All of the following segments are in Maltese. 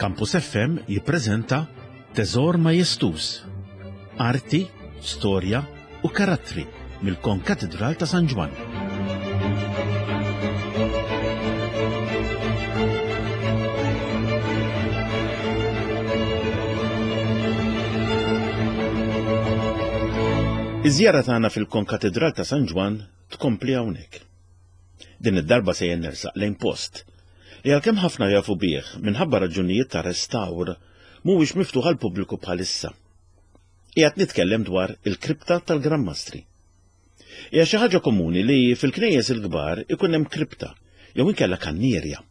Campus FM jippreżenta Teżor Majestuż, Arti, Storja u Karattri mill-Konkatidral ta' San Ġwann. Iż-żjara tagħna fil-Konkatidral ta' San Ġwann tkompli hawnhekk. Din id-darba sejjer nersaq lejn post li għalkemm ħafna jafu bih minħabba raġunijiet ta' restawr mhuwiex miftuħ għall-pubbliku bħalissa. Qiegħed nitkellem dwar il-kripta tal-Gran Mastri. Hija xi ħaġa komuni li fil-knejjes il-kbar ikun hemm kripta jew inkella kannierja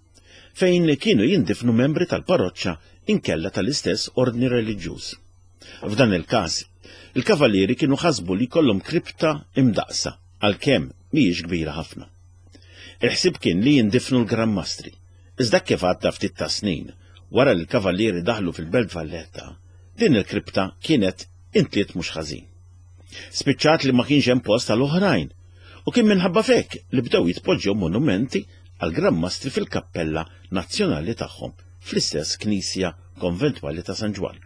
fejn kienu jindifnu membri tal-parroċċa inkella tal-istess ordni reliġjuż. F'dan il-każ, il-kavallieri kienu ħasbu li jkollhom kripta imdaqsa għalkemm mhijiex kbira ħafna. Il-ħsieb kien li jindifnu l-Gran Mastri, iżda kif għadda ftit ta' snin wara li l-kavallieri daħlu fil-Belt Valletta, din il-kripta kienet intliet mhux ħażin. Spiċċat li ma kienx hemm post għal oħrajn u kien minħabba f'hekk li bdew jitpoġġew monumenti għal Gran Mastri fil-kappella nazzjonali tagħhom fl-istess knisja konventwali ta' San Ġwann.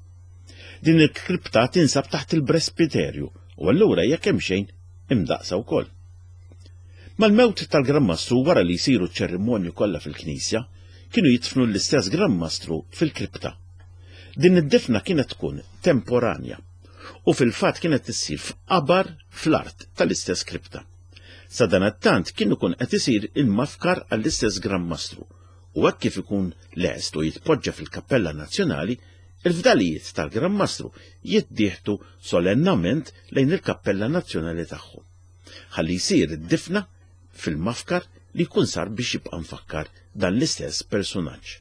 Din il-kripta tinsab taħt il-presbiterju u allura hija kemxejn imdaqsa wkoll. Mal-mewt tal-Gran Mastru wara li jsiru ċ-ċerimonji kollha fil-knisja, kienu jidfnu l-istess Gran Mastru fil-kripta. Din id-difna kienet tkun temporanja u fil-fatt kienet issir f'qabar fl-art tal-istess kripta. Sadanattant kien ikun qed isir il-mafkar għall-istess Gran Mastru u hekk kif ikun lest u jitpoġġa fil-Kappella Nazzjonali, il-fdalijiet tal-Gran Mastru jittieħdu solennament lejn il-Kappella Nazzjonali tagħhom. Ħalli jsir id-difna fil-mafkar li jkun sar biex jibqa' mfakkar dan l-istess persunaġġ.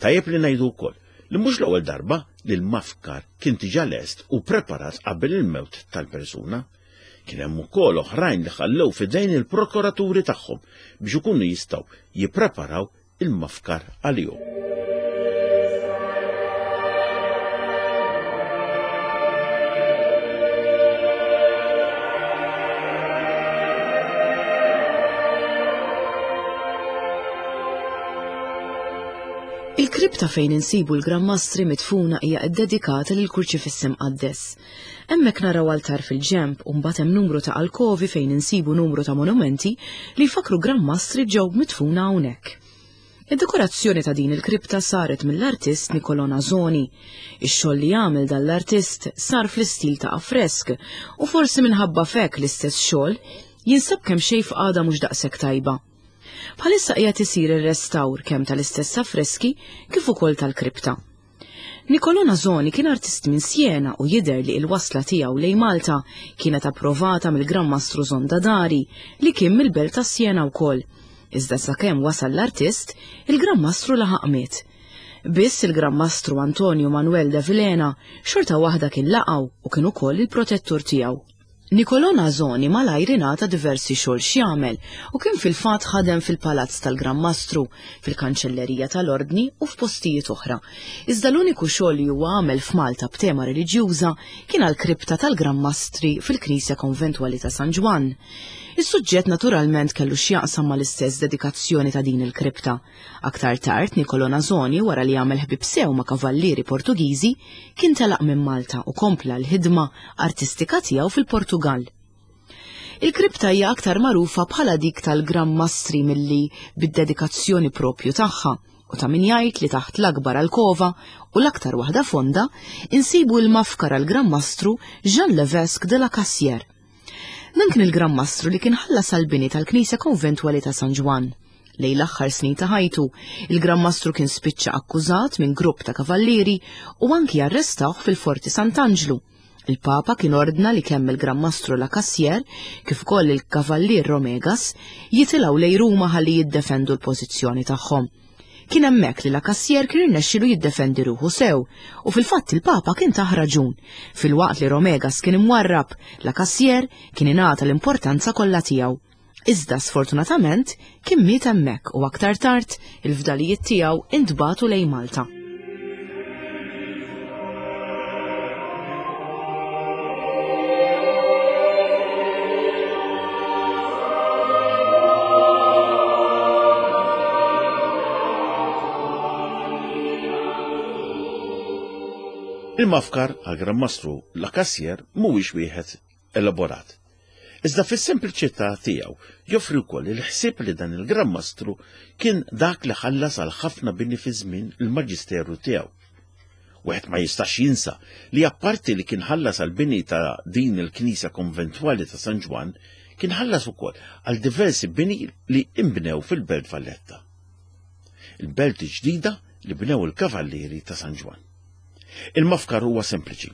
Tajjeb li ngħidu wkoll li mhux l-ewwel darba li l-mafkar kien diġà lest u preparat qabel il-mewt tal-persuna. Kien hemm ukoll oħrajn li ħallew f'idejn il-prokuraturi tagħhom biex ikunu jistgħu jippreparaw il-mafkar għalihom. Il-kripta fejn insibu l-Gran Mastri midfuna hija ddedikata lill-Kurċifiss Imqaddes. Hemmhekk naraw altar fil-ġenb u mbagħad hemm numru ta' alkovi fejn insibu numru ta' monumenti li jfakkru Gran Mastri ġew midfuna hawnhekk. Id-dekorazzjoni ta' din il-kripta saret mill-artist Nicolò Nasoni. Ix-xogħol li għamel dan l-artist sar fl-istil ta' affresk u forsi minħabba f'hekk l-istess xogħol jinsab kemxejn f'qagħda mhux daqshekk tajba. Bħalissa qiegħed isir ir-restawr kemm tal-istess affreski kif ukoll tal-kripta. Nicolò Nasoni kien artist minn Siena u jidher li l-wasla tiegħu lejn Malta kienet approvata mill-Gran Mastru Zonda Dari li kien mill-belt ta' Siena wkoll. Iżda sakemm wasal l-artist, il-Gran Mastru laħaq miet. Biss il-Gran Mastru Antonio Manuel de Vilhena xorta waħda kien laqgħu u kien ukoll il-protettur tiegħu. Nicolò Nasoni malajr ingħata diversi xogħol x'jagħmel u kien fil-fatt ħadem fil-Palazz tal-Gran Mastru, fil-Kanċellerija tal-Ordni u f'postijiet oħra. Iżda l-uniku xogħol li huwa għamel f'Malta b'tema reliġjuża kien għall-kripta tal-Gran Mastri fil-Knisja Konventwali ta' San Ġwann. Is-suġġett naturalment kellu x'jaqsam mal-istess dedikazzjoni ta' din il-kripta. Aktar tard, Nicolò Nasoni, wara li għamel ħbieb sew ma' kavallieri Portugiżi, kien telaq minn Malta u kompla l-ħidma artistika tiegħu fil-Portugall. Il-kripta hija aktar magħrufa bħala dik tal-Gran Mastri milli bid-dedikazzjoni propju tagħha, u ta' min jgħid li taħt l-akbar alkova u l-aktar waħda fonda insibu l-mafkar għall-Gran Mastru Jean Levesque de la Cassière. Dan kien il-Gran Mastru li kien ħallas għall-bini tal-Knisja Konventwali ta' San Ġwann. Lejn l-aħħar snin ta' ħajtu, il-Gran Mastru kien spiċċa akkużat minn grupp ta' kavallieri u anki arrestawh fil-Forti Sant'Anġlu. Il-Papa kien ordna li kemm il-Gran Mastru La Cassière kif ukoll il-Kavallier Romegas jitilgħu lejn Ruma ħalli jiddefendu l-pożizzjoni tagħhom. Kien hemmhekk li La Cassière kien irnexxielu jiddefendi ruħu sew u fil-fatt il-Papa kien tah raġun. Filwaqt li Romegas kien imwarrab, La Cassière kien ingħata l-importanza kollha tiegħu. Iżda sfortunatament kien miet hemmhekk u aktar tard il-fdalijiet tiegħu intbagħtu lejn Malta. Il-mafkar għal Gran Mastru La Cassier mhuwiex wieħed elaborat. Iżda fis-sempliċità tiegħu joffri wkoll il-ħsieb li dan il-Gran Mastru kien dak li ħallas għal ħafna bini fi żmien il-maġisteru tiegħu. Wieħed ma jistax jinsa li apparti li kien ħallas għal bini ta' din il-knisja konventwali ta' San Ġwann, kien ħallas ukoll għal diversi bini li inbnew fil-Belt Valletta. Il-belt ġdida li bnew il-Kavallieri ta' San Ġwann. Il-mafkar huwa sempliċi.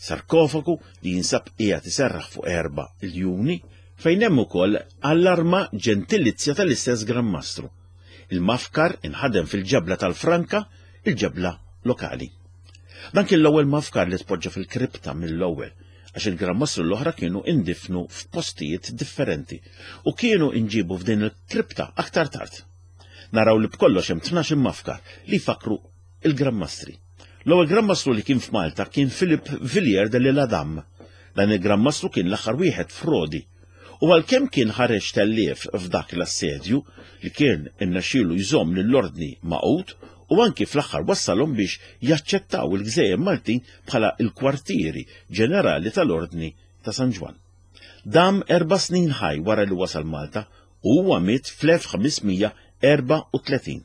Sarkofagu li jinsab qiegħed iserraħ fuq erba' iljuni fejn hemm ukoll allarma ġentilizja tal-istess Gran Mastru. Il-mafkar inħadem fil-ġebla tal-Franka, il-ġebla lokali. Dan kien l-ewwel mafkar li tpoġġa fil-kripta mill-ewwel, għax il-Gran Mastru l-oħra kienu indifnu f'postijiet differenti u kienu inġibu f'din il-kripta aktar tard. Naraw li b'kollox hemm 12 mafkar li jfakkru il-Gran Mastri. L-ewwel Gran Mastru li kien f'Malta kien Philip Villiers de l'Isle-Adam. Dan il-Gran Mastru kien l-aħħar wieħed frodi. U għalkemm kien ħareġ tellief f'dak l-assedju li kien irnexxielu jżomm lill-Ordni magħqud u anki fl-aħħar wassalhom biex jaċċettaw il-gżejjer Maltin bħala l-kwartieri ġenerali tal-Ordni ta' San Ġwann. Dam erba' snin ħaj wara li wasal Malta u huwa miet fl-1534.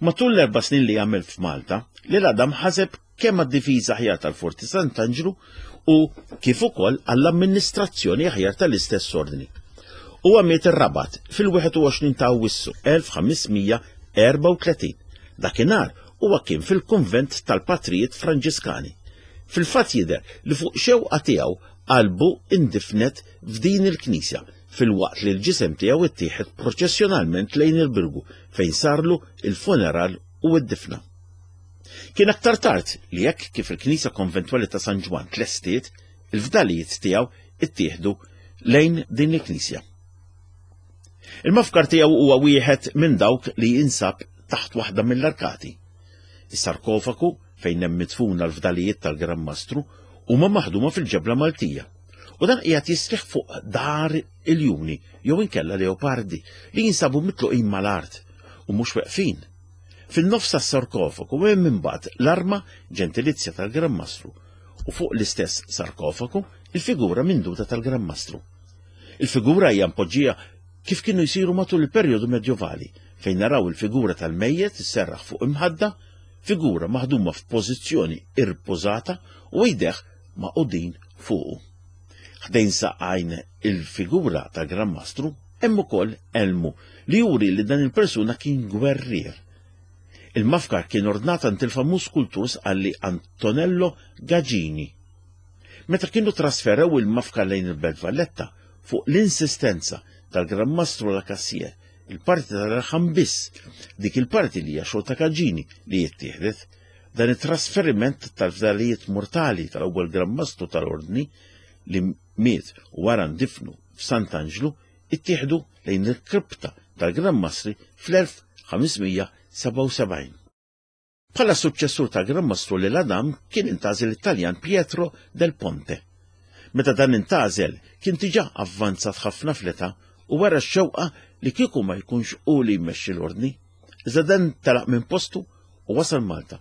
Matul l-erba' snin li għamel f'Malta, L'Isle-Adam ħaseb kemm għad-difiża aħjar tal-Forti Sant'Anġlu u kif ukoll għall-amministrazzjoni aħjar tal-istess ordni. Huwa miet ir-Rabat fil-21 ta' Awwissu 1534. Dakinhar huwa kien fil-kunvent tal-Patrijiet Franġiskani. Fil-fatt jidher li fuq xewqa tiegħu qalbu indifnet f'din il-knisja filwaqt li l-ġisem tiegħu ttieħed proċessjonalment lejn il-Birgu fejn sarlu il-funeral u d-difna. Kien aktar tard li hekk kif il-Knisja Konventwali ta' San Ġwann tlestiet, il-fdalijiet tiegħu ttieħdu lejn din il-knisja. Il-mafkar tiegħu huwa wieħed minn dawk li jinsab taħt waħda mill-arkati. Is-sarkofagu fejn hemm midfuna l-fdalijiet tal-Gran Mastru huma maħduma fil-ġebla Maltija. U dan qiegħed jistrieħ fuq dar iljuni jew inkella leopardi li jinsabu mitluqin mal-art u mhux weqfin. Fin-nofs tas-sarkofagu hemm imbagħad l-arma ġentilizja tal-Gran Mastru u fuq l-istess sarkofagu il-figura minduta tal-Gran Mastru. Il-figura hija mpoġġija kif kienu jsiru matul il-perjodu medjovali, fejn naraw il-figura tal-mejjet isserraħ fuq imħadda, figura maħduma f'pożizzjoni irpożata u jdejh magħqudin fuqu. Ħdejn saqajn il-figura tal-Gran Mastru hemm ukoll elmu li juri li dan il-persuna kien gwerrier. Il-mafkar kien ordnat għand il-famuż skultur sqalli Antonello Gagini. Meta kienu trasferew il-mafkar lejn il-Belt Valletta fuq l-insistenza tal-Gran Mastru La Cassier, il-parti tal-raħam biss, dik il-parti li hija xogħol ta' Gagini li jittieħdet, Dan it-trasferiment tal-fdalijiet mortali tal-ewwel Gran Mastru tal-Ordni li miet u wara ndifnu f'Sant'Anġlu ittieħdu lejn il-kripta tal-Gran Mastri fl-1577. Bħala suċċessur tal-Gran Mastru L'Isle-Adam kien intgħażel it-Taljan Pietro del Ponte. Meta dan intgħażel kien diġà avvanzat ħafna fl-età u wera x-xewqa li kieku ma jkunx hu li jmexxi l-Ordni. Iżda dan telaq minn postu u wasal Malta.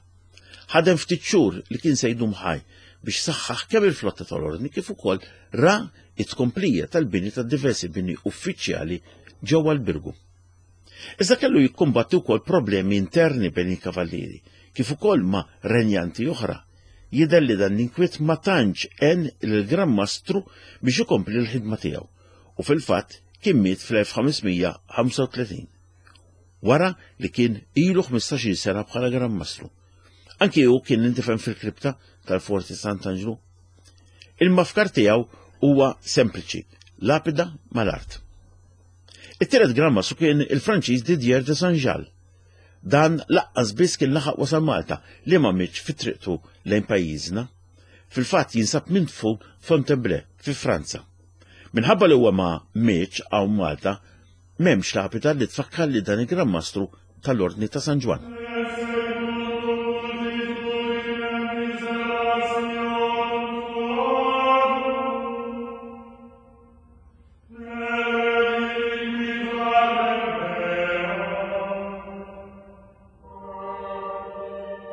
Ħadem ftit xhur li kien se jdum ħaj biex saħħaħ kemm il-flotta tal-Ordni kif ukoll ra it-tkomplija tal-bini ta' diversi bini uffiċjali ġewwa l-Birgu. Iżda kellu jikkumbatti wkoll problemi interni bejn il-kavallieri, kif ukoll ma' renjanti oħra. Jidher li dan l-inkwiet ma tantx għen lill-Gran Mastru biex ikompli l-ħidma tiegħu u fil-fatt kien miet fl-1535. wara li kien ilu 15-il sena bħala Gran Mastru. Anki hu kien indifen fil-kripta tal-Forti Sant'Anġlu. Il-mafkar tiegħu huwa sempliċi, lapida mal-art. It-tielet Gran Mastru kien il-Franċiż Didier de Saint-Jal. Dan laqqas biss kien laħaq wasal Malta li ma mietx fi triqtu lejn pajjiżna. Fil-fatt jinsab midfun Fontainebleau fi Franza. Minħabba li huwa ma mietx hawn Malta, M'hemmx lapida li tfakkar li dan il-Gran Mastru tal-Ordni ta' San Ġwann.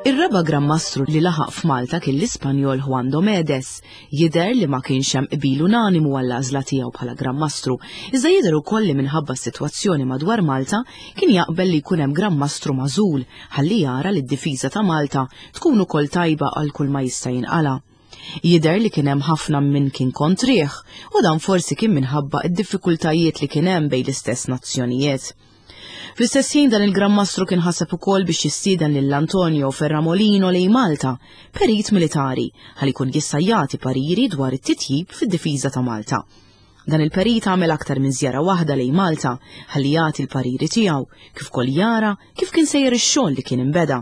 Ir-raba' Gran Mastru li laħaq f'Malta kien l-Ispanjol Juan Domedes. Jidher li ma kienx hemm qbil unanimu għall-għażla tiegħu bħala Gran Mastru, iżda jidher ukoll li minħabba s-sitwazzjoni madwar Malta kien jaqbel li jkun hemm Gran Mastru magħżul ħalli jara li d-difiża ta' Malta tkun ukoll tajba għal kull ma jista' jinqala'. Jidher li kien hemm ħafna min kien kontrih u dan forsi kien minħabba d-diffikultajiet li kien hemm bejn l-istess nazzjonijiet. Fl-istess ħin dan il-Gran Mastru kien ħaseb ukoll biex jistieden lil Antonio Ferramolino lejn Malta, perit militari, ħalli jkun jista' jagħti pariri dwar it-titjib fid-difiża ta' Malta. Dan il-perit għamel aktar minn żjara waħda lejn Malta ħalli jagħti l-pariri tiegħu, kif ukoll jara kif kien sejjer ix-xogħol li kien inbeda.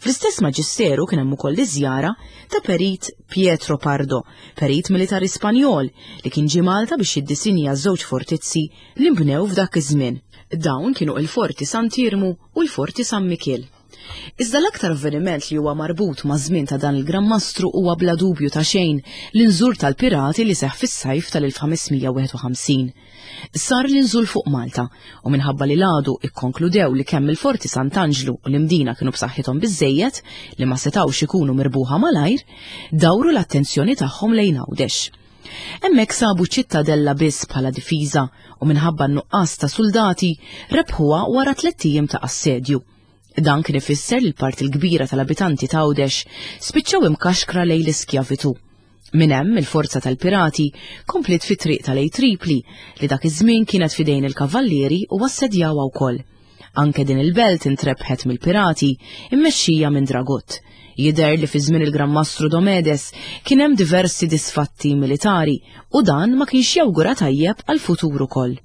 Fl-istess maġisteru kien hemm ukoll iż-żjara ta' Perit Pietro Pardo, perit militari Spanjol li kien ġie Malta biex jiddisinja żewġ fortizzi li nbnew f'dak iż-żmien. Dawn kienu il-Forti Sant'Iermu u l-Forti San Mikiel. Iżda l-aktar avveniment li huwa marbut maż-żmien ta' dan il-Gran Mastru huwa bla dubju ta' xejn l-inżur tal-pirati li seħħ fis-sajf tal-1551. Sar l-inżul fuq Malta u minħabba li l-għadu ikkonkludew li kemm il-Forti Sant'Anġlu u l-Imdina kienu b'saħħithom biżżejjed li ma setgħux ikunu mirbuħa malajr, dawru l-attenzjoni tagħhom lejn Għawdex. Hemmhekk sabu ċittadella biss bħala difiża u minħabba n-nuqqas ta' suldati rebħuha wara tlett ijiem ta' assedju. Dan kien ifisser li l-parti l-kbira tal-abitanti ta' Għawdex spiċċaw imkaxkra lejn l-iskjavitu. Minn hemm il-forza tal-pirati kompliet fit-triq ta' lejn Tripli li dak iż-żmien kienet f'idejn il-kavallieri u assedjawha wkoll. Anke din il-belt intrebħet mill-pirati immexxija minn Dragut. Jidher li fi żmien il-Gran Mastru Domedes kien hemm diversi disfatti militari u dan ma kienx jawgura tajjeb għall-futur ukoll.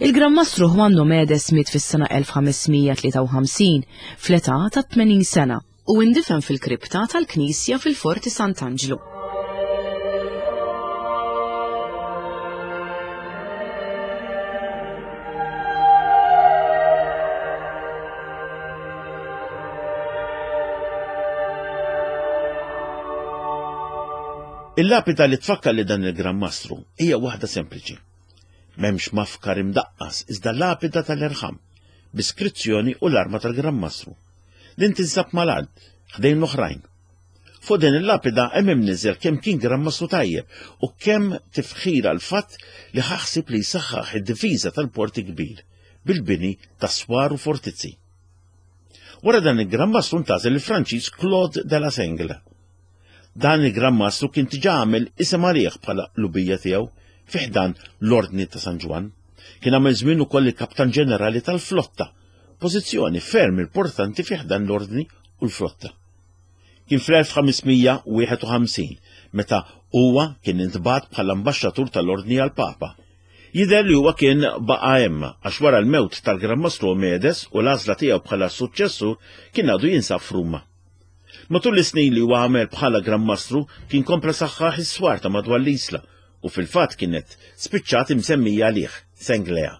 Il-Gran Mastru Juan Domedes miet fis-sena 1553 fl-età ta' 80 sena. u indifen fil-kripta tal-knisja fil-Forti Sant'Anġlu. Il-lapida li tfakkar li dan il-Gran Mastru hija waħda sempliċi. M'hemmx mafkar imdaqqas iżda lapida tal-irħam, bi skrizzjoni u l-arma tal-Gran Mastru. Din tinsab mal-art, ħdejn l-oħrajn. Fuq din il-lapida hemm imniżżel kemm kien Gran Mastru tajjeb u kemm tifħir għall-fatt li ħa ħsieb li jsaħħaħ id-difiża tal-Port il-Kbir bil-bini ta' swar u fortizzi. Wara dan il-Gran Mastru ntgħażel il-Franċiż Claude de la Sengle. Dan il-Gran Mastru kien diġà għamel isem għalih bħala qlubija tiegħu fi ħdan l-Ordni ta' San Ġwann. Kien għamel żmien ukoll il-Kaptan Ġenerali tal-Flotta pożizzjoni ferm importanti fi ħdan l-Ordni u l-flotta. Kien fl-1551 meta huwa kien intbagħat bħala ambaxxatur tal-Ordni għall-Papa. Jidher li huwa kien baqa' hemm għax wara l-mewt tal-Gran Mastru Omedes u l-għażla tiegħu bħala suċċessur kien għadu jinsab f'Ruma. Matul is-snin li huwa għamel bħala Gran Mastru kien kompla saħħaħ is-swar ta' madwar l-Isla u fil-fatt kienet spiċċat imsemmija għalih, Senglea.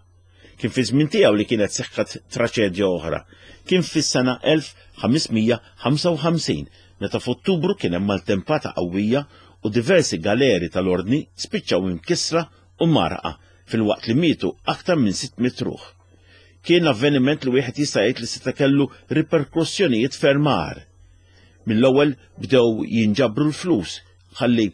Kien fi żmien tiegħu li kienet seħħet traċedja oħra. Kien fis-sena 1555 meta f'Ottubru kien hemm maltempata qawwija u diversi galeri tal-Ordni spiċċaw imkissra u mgħarrqa filwaqt li mietu aktar minn 600 ruħ. Kien avveniment li wieħed jista' jgħid li seta' kellu riperkussjonijiet ferm agħar. Mill-ewwel bdew jinġabru l-flus ħalli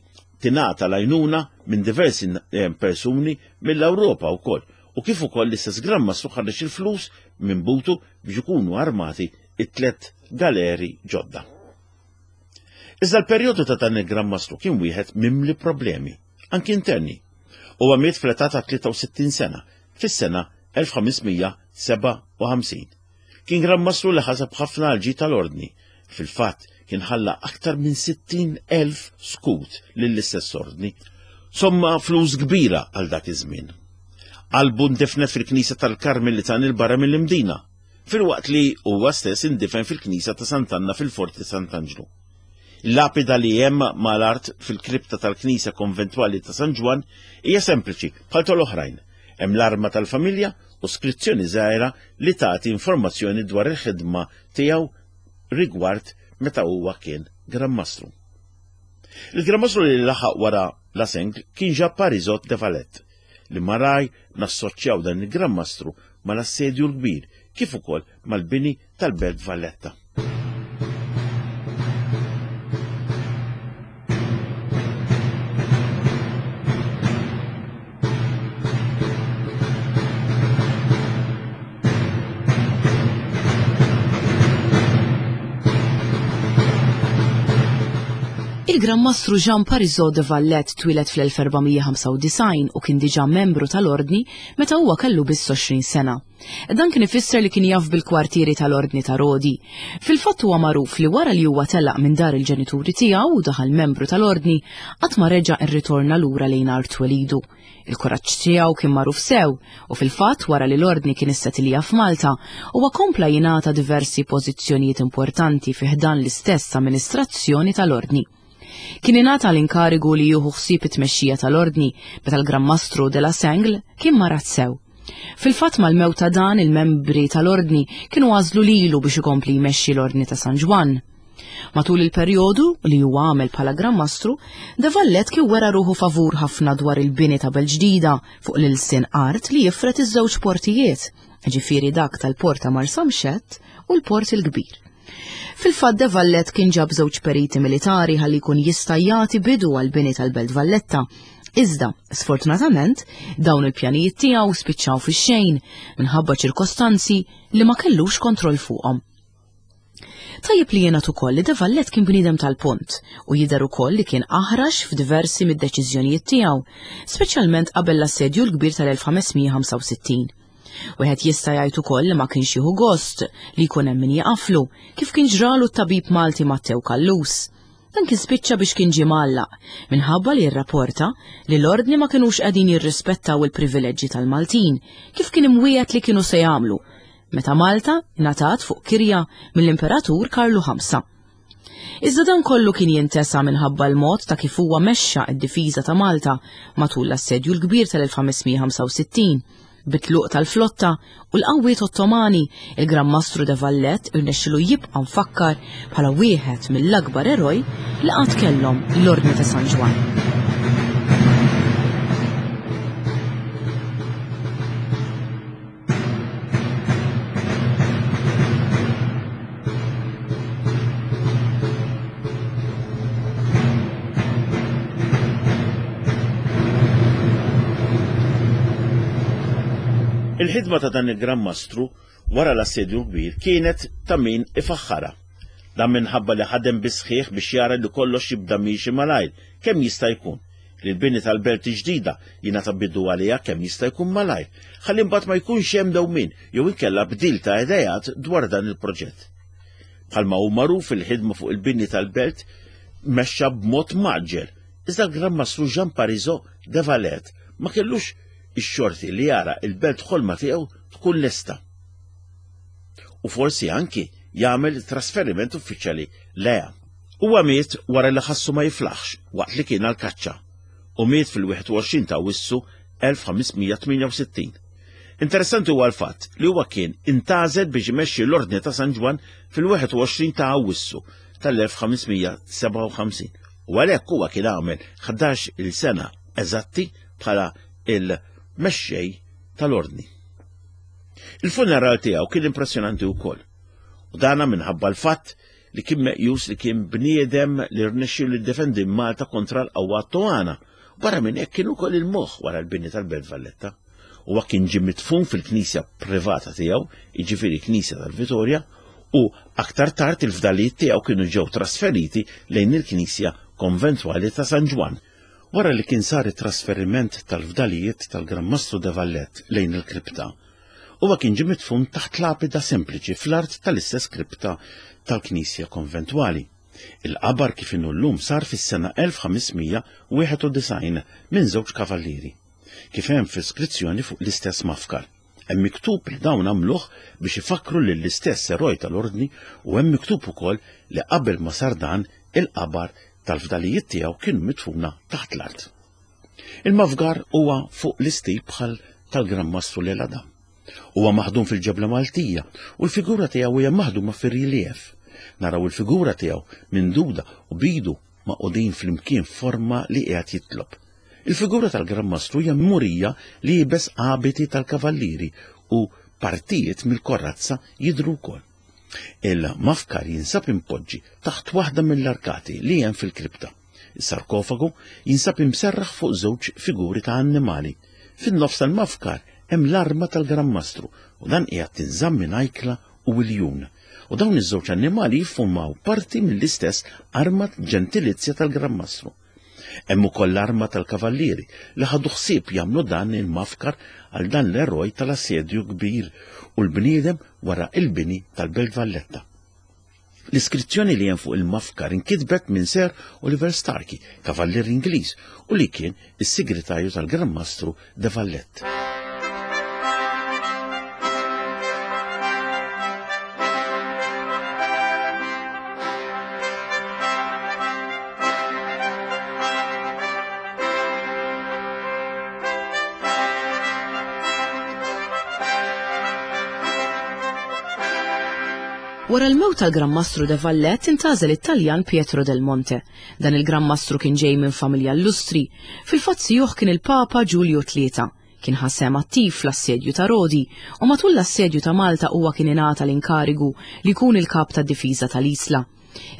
tingħata l-għajnuna minn diversi eh, persuni mill-Ewropa wkoll u kif ukoll l-istess Gran Mastru ħareġ il-flus minn butu biex ikunu armati it-tlet galeri ġodda. Iżda l-perjodu ta' dan il-Gran Mastru kien wieħed mimli problemi, anki interni. Huwa miet fl-età ta' 63 sena, fis-sena 1557. Kien Gran Mastru li ħaseb ħafna għall-ġid tal-Ordni. Fil-fatt, kien ħalla aktar minn 60,000 skut lill-istess Ordni. Somma flus kbira għal dak iż-żmien. Qalbu ndifnet fil-knisja tal-Karmelitan 'il barra mill-Imdina, filwaqt li huwa stess indifen fil-knisja ta' Sant'Anna fil-Forti Sant'Anġlu. Il-lapida li hemm mal-art fil-kripta tal-knisja konventwali ta' San Ġwann hija sempliċi bħal tal-oħrajn. Hemm l-arma tal-familja u skrizzjoni żgħira li tagħti informazzjoni dwar il-ħidma tiegħu rigward meta huwa kien Gran Mastru. Il-Gran Mastru li laħaq wara Laseng kien Jean Parisot de Valette, li malaj nassoċjaw dan il-Gran Mastru mal-Assedju l-Kbir kif ukoll mal-bini tal-Belt Valletta. Il-Gran Mastru Jean Parisot de Valette twieled fl-1495 u kien diġà membru tal-Ordni meta huwa kellu biss 20 sena. Dan kien ifisser li kien jaf bil-kwartieri tal-Ordni ta' Rodi. Fil-fatt huwa magħruf li wara li huwa telaq minn dar il-ġenituri tiegħu u daħal membru tal-Ordni, qatt ma reġa' rritorna lura lejn art twelidu. Il-kuraġġ tiegħu kien magħruf sew u fil-fatt wara li l-Ordni kien issetilja f'Malta, huwa kompla jingħata diversi pożizzjonijiet importanti fi ħdan l-istess amministrazzjoni tal-Ordni. Kien ingħata l-inkarigu li jieħu ħsieb it-tmexxija tal-Ordni meta l-Gran Mastru de la Sengle kien marad sew. Fil-fatt mal-mewt ta' dan il-membri tal-Ordni kienu għażlu lilu biex ikompli jmexxi l-Ordni ta' San Ġwann. Matul il-perjodu li huwa għamel bħala Gran Mastru, De Valette kien wera ruħu favur ħafna dwar il-bini ta' belt ġdida fuq l-ilsien art li jifred iż-żewġ portijiet, ġifieri dak tal-port ta' Marsamxett u l-Port il-Kbir. Fil-fatt De Valette kien ġab żewġ periti militari ħalli jkun jista' jagħti bidu għall-bini tal-Belt Valletta. Iżda, sfortunatament, dawn il-pjanijiet tiegħu spiċċaw fix-xejn minħabba ċirkostanzi li ma kellux kontroll fuqhom. Tajjeb li jingħad ukoll li De Valette kien bniedem tal-punt u jidher ukoll li kien aħrax f'diversi mid-deċiżjonijiet tiegħu, speċjalment qabel l-Assedju l-Kbir tal-1565. Wieħed jista' jgħid ukoll li ma kienx jieħu gost li jkun hemm min jaqaflu, kif kien ġralu t-tabib Malti Mattew Callus. Dan kien spiċċa biex kien ġie mgħallaq minħabba li rrapporta li l-Ordni ma kinux qegħdin jirrispettaw il-privileġġi tal-Maltin kif kien imwiegħed li kienu se jagħmlu meta Malta ngħatat fuq kirja mill-Imperatur Karlu Ħamsa. Iżda dan kollu kien jintesa minħabba l-mod ta' kif huwa mexxa d-difiża ta' Malta matul l-Assedju l-Kbir tal-1565. Bit-tluq tal-flotta u l-qawwiet Ottomani, il-Gran Mastru de Valette irnexxilu jibqa' mfakkar bħala wieħed mill-akbar eroj li qatt kellhom l-Ordni ta' San Ġwann. Il-ħidma ta' dan il-Gran Mastru wara l-Assedju l-Kbir kienet ta' min ifaħħarha. Dan minħabba li ħadem bis-sħiħ biex jara li kollox jibda miexi malajr kemm jista' jkun. li l-bini tal-belt il-ġdida jingħata bidu għaliha kemm jista' jkun malajr, ħalli mbagħad ma jkunx hemm dewmien jew inkella bdil ta' ideat dwar dan il-proġett. Bħalma hu magħruf il-ħidma fuq il-bini tal-belt mexxa b'mod mgħaġġel, iżda l-Gran Mastru Jean Parisot de Valette ma kellux ix-xorti li jara il-belt ħolma tiegħu tkun lesta. U forsi anki jagħmel trasferiment uffiċjali lejha. Huwa miet wara li ħassu ma jiflaħx waqt li kien għall-kaċċa u miet fil-21 ta' Awwissu 1568. Interessanti huwa l-fatt li huwa kien intgħażel biex imexxi l-Ordni ta' San Ġwann fil-21 ta' Awwissu tal-1557 u għalhekk huwa kien għamel 11-il sena eżatti bħala il-mexxej tal-Ordni. Il-funeral tiegħu kien impressjonanti wkoll u dana minħabba l-fatt li kien meqjus li kien bniedem li rnexxielu jiddefendi Malta kontra l-qawwa Ottowana. Barra minn hekk kien ukoll il-moħħ wara l-bini tal-Belt Valletta. Huwa kien ġie midfun fil-knisja privata tiegħu, jiġifieri knisja tal-Vitorja, u aktar tard il-fdalijiet tiegħu kienu ġew trasferiti lejn il-knisja konventwali ta' San Ġwann. Wara li kien sar it-trasferiment tal-fdalijiet tal-Gran Mastru de Valette lejn il-kripta, Huwa kien ġie midfun taħt lapida sempliċi fl-art tal-istess kripta tal-knisja konventwali. Il-qabar kif inhu llum sar fis-sena 1591 minn żewġ kavallieri. Kif hemm fl-iskrizzjoni fuq l-istess mafkar. Hemm miktub li dawn għamluh biex ifakkru lill-istess eroj tal-Ordni u hemm miktub ukoll li qabel ma sar dan il-qabar tal-fdalijiet tiegħu kienu midfuna taħt l-art. Il-mafgar huwa fuq l-istil bħal tal-Gran Mastru Lelada. Huwa maħdum fil-ġebla Maltija u l-figura tiegħu hija maħduma fir-relief. Naraw il-figura tiegħu minduda u bidu maqudin flimkien forma li qiegħed jitlob. Il-figura tal-Gran Mastru hija murija li jibes abiti tal-kavallieri u partijiet mill-korrazza jidhru wkoll. Il-mafkar jinsab impoġġi taħt waħda mill-arkati li hemm fil-kripta. Is-sarkofagu jinsab imserraħ fuq żewġ figuri ta' annimali. Fin-nofs tal-mafkar hemm l-arma tal-Gran Mastru u dan qiegħed tinżamm minn ajkla u iljun. U dawn iż-żewġ annimali jiffurmaw parti mill-istess arma ġentilizja tal-Gran Mastru. Hemm ukoll l-arma tal-kavallieri li ħadu ħsieb jagħmlu dan il-mafkar għal dan l-eroj tal-assedju kbir u l-bniedem wara il-bini tal-Belt Valletta. L-iskrizzjoni li hemm fuq il-mafkar inkitbet minn Sir Oliver Starkey, kavallier Ingliż, u li kien is-segretarju tal-Gran Mastru de Valette. Wara l-mewt tal-Gran Mastru de Valette intgħażel it-Taljan Pietro del Monte. Dan il-Gran Mastru kien ġej minn familja illustri. Fil-fatt sijuh kien il-Papa Ġulju Tlieta. Kien ħa sehem attiv fl-assedju ta' Rodi u matul l-assedju ta' Malta huwa kien ingħata l-inkarigu li jkun il-kap tad-difiża tal-Isla.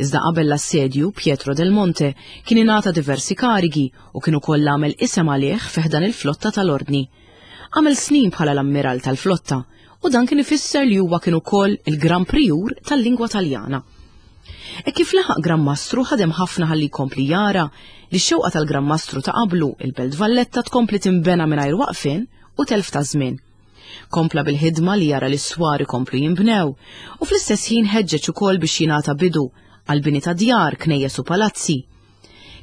Iżda qabel l-assedju, Pietro del Monte kien ingħata diversi karigi u kien ukoll għamel isem għalih fi ħdan il-flotta tal-Ordni. Għamel snin bħala l-ammiral tal-flotta u dan kien ifisser li huwa kien ukoll il-Gran Prijur tal-lingwa Taljana. E kif laħaq Gran Mastru ħadem ħafna ħalli jkompli jara li x-xewqa tal-Gran Mastru ta' qablu il-Belt Valletta tkompli tinbena mingħajr waqfien u telf ta' żmien. Kompla bil-ħidma li jara li s-swar ikomplu jinbnew u fl-istess ħin ħeġġeġ ukoll biex jingħata bidu għal bini ta' djar, knejjes u palazzi.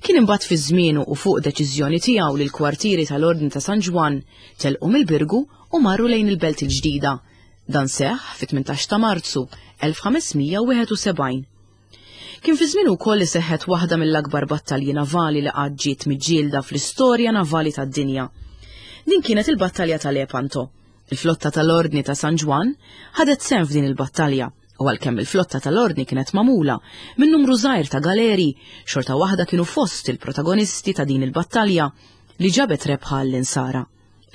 Kien imbagħad fi żmienu u fuq deċiżjoni tiegħu li l-kwartieri tal-Ordni ta' San Ġwann telqu mill-Birgu u marru lejn il-Belt il-Ġdida. Dan seħħ fit-18 ta' Marzu 1571. Kien fi żmienu wkoll li seħħet waħda mill-akbar battalji navali li qatt ġiet miġġielda fl-istorja navali tad-dinja. Din kienet il-battalja ta' Lepanto. Il-flotta tal-Ordni ta' San Ġwann ħadet sehem f'din il-battalja u għalkemm il-flotta tal-Ordni kienet magħmula minn numru żgħir ta' galeri, xorta waħda kienu fost il-protagonisti ta' din il-battalja li ġabet rebħa għall-insara.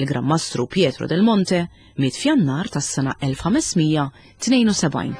Il-Gran Mastru Pietro del Monte miet f'Jannar tas-sena 1572.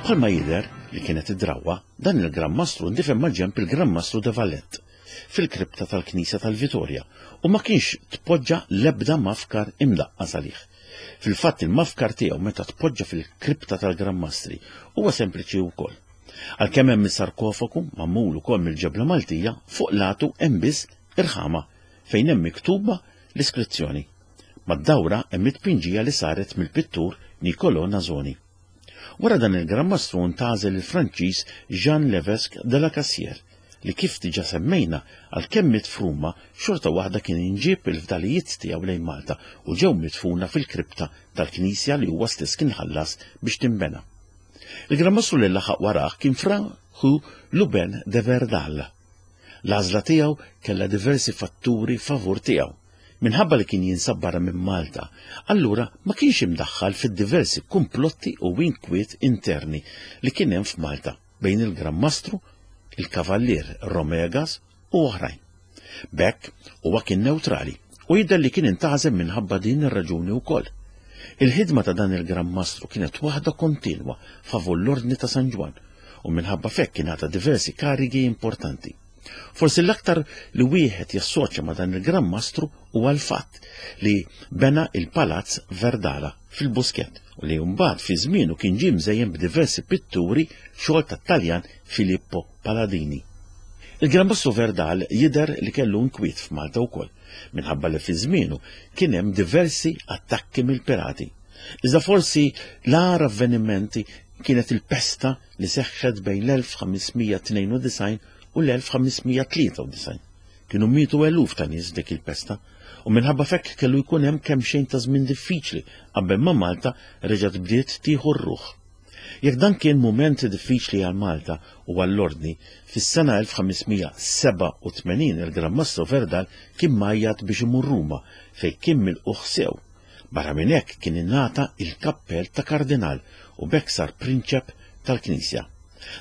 Bħalma jidher li kienet id-drawwa, dan il-Gran Mastru ndifen maġenb il-Gran Mastru de Valette fil-kripta tal-Knisja tal-Vitorja u ma kienx tpoġġa l-ebda mafkar imdaqqas għalih. Fil-fatt il-mafkar tiegħu meta tpoġġa fil-kripta tal-Gran Mastri huwa sempliċi wkoll. Għalkemm hemm is-sarkofagu magħmul ukoll mill-ġebla Maltija, fuq latu hemm biss irħama fejn hemm miktuba l-iskrizzjoni. Mad-dawra hemm it-tpinġija li saret mill-pittur Nicolò Nasoni. Wara dan il-Gran Mastru ntgħażel il-Franċiż Jean Levesque de la Cassière li kif diġà semmejna għalkemm miet f'Ruma xorta waħda kien inġieb il-fdalijiet tiegħu lejn Malta u ġew midfuna fil-kripta tal-knisja li huwa stess kien ħallas biex tinbena. Il-Gran Mastru li laħaq warah kien Fra Hu Lubin de Verdal. L-għażla tiegħu kellha diversi fatturi favur tiegħu. Minħabba li kien jinsab barra minn Malta, allura ma kienx imdaħħal fid-diversi kumplotti u inkwiet interni li kien hemm f'Malta bejn il-Gran Mastru, il-Kavallier Romegas u oħrajn. B'hekk huwa kien newtrali u jidher li kien intgħażel minħabba din ir-raġuni wkoll. Il-ħidma ta' dan il-Gran Mastru kienet waħda kontinwa favur l-Ordni ta' San Ġwann u minħabba f'hekk ingħata diversi karigi importanti. Forsi l-aktar li wieħed jassoċja ma' dan il-Gran Mastru huwa l-fatt li bena il-Palazz Verdala fil-Buskett u li mbagħad fi żmienu kien ġie mżejjen b'diversi pitturi xogħol tat-Taljan Filippo Paladini. Il-Gran Mastru Verdal jidher li kellu inkwiet f'Malta wkoll, minħabba li fi żmienu kien hemm diversi attakki mill-pirati. Iżda forsi l-agħar avvenimenti kienet il-pesta li seħħet bejn l-1592 u l-1593. Kienu mietu eluf ta' nies f'dik il-pesta u minħabba f'hekk kellu jkun hemm kemxejn ta' żmien diffiċli qabel ma Malta reġgħet bdiet tieħu r-ruħ. Jekk dan kien mument diffiċli għal Malta u għall-Ordni, fis-sena 1587 il-Gran Mastru Verdal kien mgħajjat biex imur Ruma fejn kien milqugħ sew. Barra minn hekk kien ingħata il-kappell ta' kardinal u b'hekk sar prinċep tal-Knisja.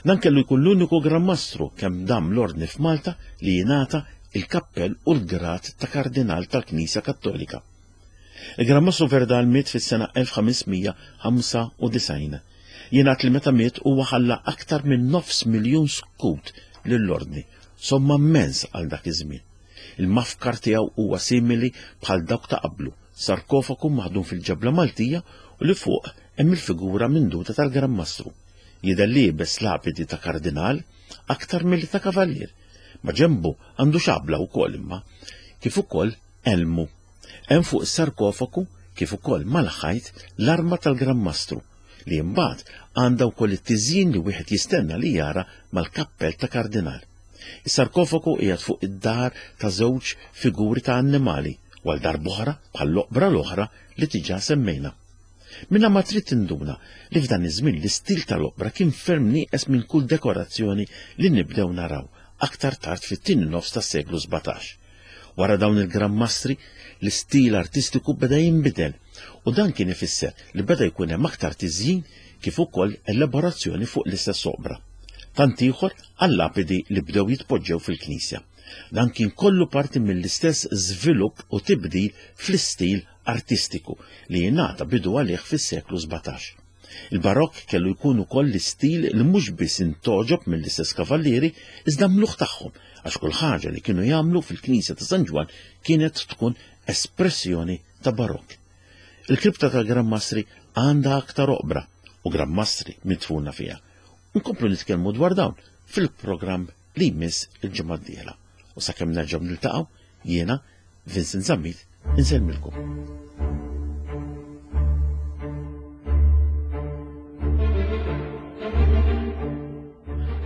Dan kellu jkun l-uniku Gran Mastru kemm dam l-Ordni f'Malta li jingħata il-kappell u l-grad ta' kardinal tal-Knisja Kattolika. Il-Gran Mastru Verdal miet fis-sena 1595. Jingħad li meta miet huwa ħalla aktar minn nofs miljun skut lill-Ordni, somma mmens għal dak iż-żmien. Il-mafkar tiegħu huwa simili bħal dawk ta' qablu, sarkofagu maħdum fil-ġebla Maltija u li fuq hemm il-figura minduta tal-Gran Mastru. Jidher liebes lapidi ta' kardinal aktar milli ta' kavallier. Ma' ġenbu għandu xabla wkoll imma, kif ukoll elmu. Hemm fuq is-sarkofagu kif ukoll mal-ħajt l-arma tal-Gran Mastru li imbagħad għandha wkoll it-tiżjin li wieħed jistenna li jara mal-kappell ta' kardinal. Is-sarkofagu qiegħed fuq id-dahar ta' żewġ figuri ta' annimali u għal darb'oħra bħall-oqbra l-oħra li diġà semmejna. Minnha ma trid tinduna li f'dan iż-żmien l-istil tal-oqbra kien ferm nieqes minn kull dekorazzjoni li nibdew naraw aktar tard fit-tieni nofs tas-seklu 17. Wara dawn il-Gran Mastri, l-istil artistiku beda jinbidel u dan kien ifisser li beda jkun hemm aktar tiżjin kif ukoll elaborazzjoni fuq l-istess oqbra. Tant ieħor għal-lapidi li bdew jitpoġġew fil-knisja. Dan kien kollu parti mill-istess żvilupp u tibdil fl-istil artistiku li jingħata bidu għalih fis-seklu 17. Il-Barokk kellu jkun ukoll l-istil li mhux biss intgħoġob mill-istess kavallieri iżda mluħ tagħhom għax kull ħaġa li kienu jagħmlu fil-knisja ta' San Ġwann kienet tkun espressjoni ta' Barokk. Il-kripta tal-Gran Mastri għandha aktar oqbra u Gran Mastri midfuna fiha. Nkomplu nitkellmu dwar dawn fil-programm li jmiss il-ġimgħa d-dieħla. U sakemm nerġgħu niltaqgħu jiena Vincent Zammit insellmilkom.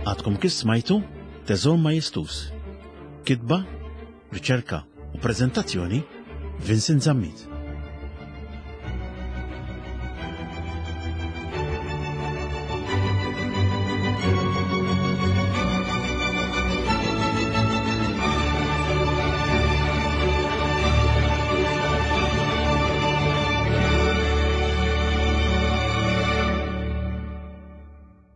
Għadkom kif smajtu Teżor Majestus. Kitba, riċerka u prezentazzjoni Vincent Zammit.